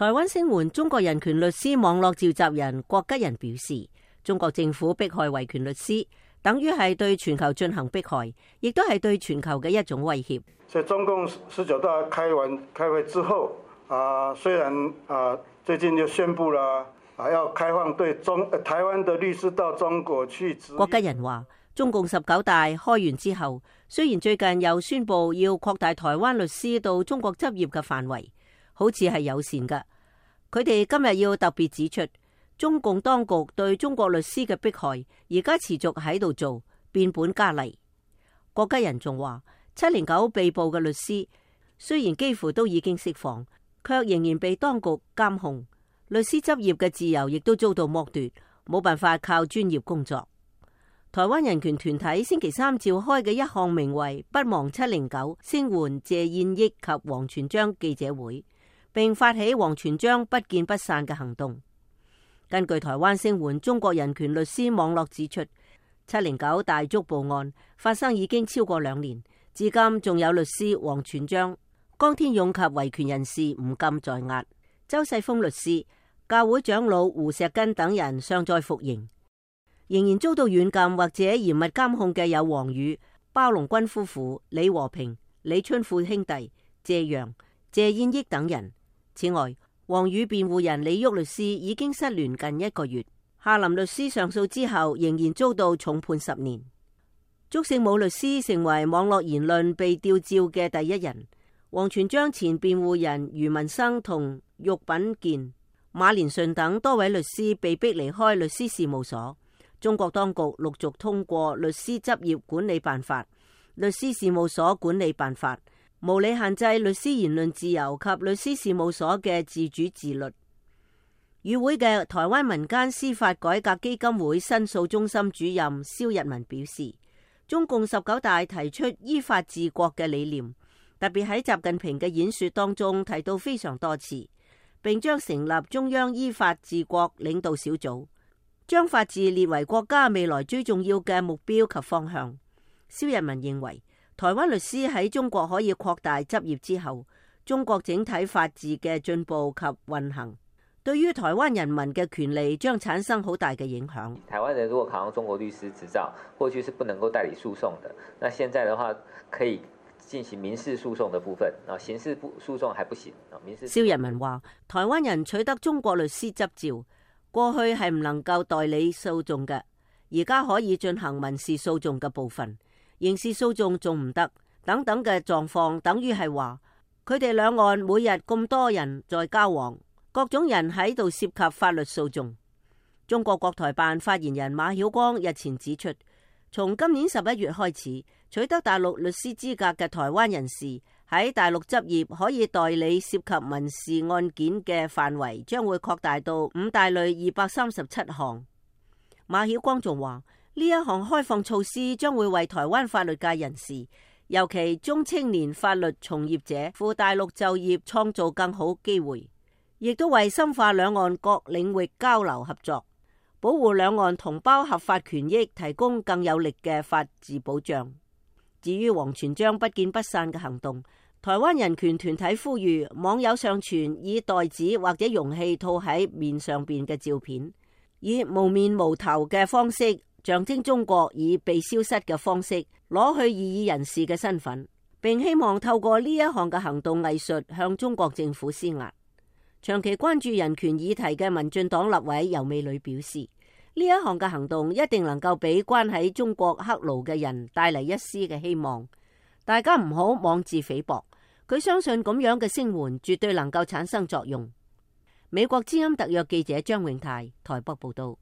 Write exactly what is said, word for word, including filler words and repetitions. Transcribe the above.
台灣聲援中國人權律師網絡召集人郭吉仁表示，中國政府迫害維權律師，等於係對全球進行迫害，亦都係對全球嘅一種威脅。所以中共十九大開完開會之後，啊，雖然啊最近就宣布了啊要開放對中台灣的律師到中國去。郭吉仁話，中共十九大開完之後，雖然最近又宣布要擴大台灣律師到中國執業嘅範圍，好似係友善嘅。佢哋今日要特別指出，中共當局對中國律師嘅迫害，而家持續喺度做，變本加厲。郭吉仁仲話，七零九被捕嘅律師雖然幾乎都已經釋放，卻仍然被當局監控，律師執業嘅自由亦都遭到剝奪，冇辦法靠專業工作。台灣人權團體星期三召開嘅一項名為不忘七零九聲援謝燕益及王全璋記者會，並發起王全璋不見不散嘅行動。根據台灣聲援中國人權律師網絡指出，七零九大捉捕案發生已經超過兩年，至今仲有律師王全璋、江天勇及維權人士吳禁在押，周世峰律師、教會長老胡錫根等人尚在服刑。仍然遭到軟禁或者嚴密監控嘅有王宇、鮑龍鈞夫婦、李和平、李春富兄弟、謝陽、謝燕益等人。此外，王宇辯護人李旭律師已經失聯近一個月，夏林律師上訴之後仍然遭到重判十年。祝聖武律師成為網絡言論被吊照嘅第一人。王全璋前辯護人余文生同郁品健、馬連順等多位律師被逼離開律師事務所。中國當局陸續通過律師執業管理辦法、律師事務所管理辦法，無理限制律師言論自由及律師事務所嘅自主自律。與會嘅台灣民間司法改革基金會申訴中心主任蕭日文表示，中共十九大提出依法治國嘅理念，特別喺習近平嘅演說當中提到非常多次，並將成立中央依法治國領導小組，將法治列為國家未來最重要嘅目標及方向。蕭日文認為，台灣律師喺中國可以擴大執業之後，中國整體法治嘅進步及運行，對於台灣人民嘅權利將產生好大嘅影響。台灣人如果考上中國律師執照，過去是不能夠代理訴訟的，那現在的話可以進行民事訴訟的部分，啊，刑事訴訟還不行。民事蕭日文話，台灣人取得中國律師執照，過去係唔能夠代理訴訟嘅，而家可以進行民事訴訟嘅部分，刑事訴訟仲唔得，等等嘅狀況，等於係話佢哋兩岸每日咁多人在交往，各種人喺度涉及法律訴訟。中國國台辦發言人馬曉光日前指出，從今年十一月開始，取得大陸律師資格嘅台灣人士喺大陸執業可以代理涉及民事案件嘅範圍將會擴大到五大類二百三十七項。馬曉光仲話，呢一項開放措施將會為台灣法律界人士，尤其中青年法律從業者赴大陸就業創造更好機會，亦都為深化兩岸各領域交流合作，保護兩岸同胞合法權益提供更有力嘅法治保障。至於王全璋不見不散嘅行動，台灣人權團體呼籲網友上傳以袋子或者容器套喺面上邊嘅照片，以無面無頭嘅方式象徵中國以被消失嘅方式攞去異議人士嘅身份，並希望透過呢一項嘅行動藝術向中國政府施壓。長期關注人權議題嘅民進黨立委游美女表示，呢一項嘅行動一定能夠俾關喺中國黑牢嘅人帶嚟一絲嘅希望，大家唔好妄自菲薄。佢相信咁樣嘅聲援絕對能夠產生作用。美國之音特約記者張永泰台北報道。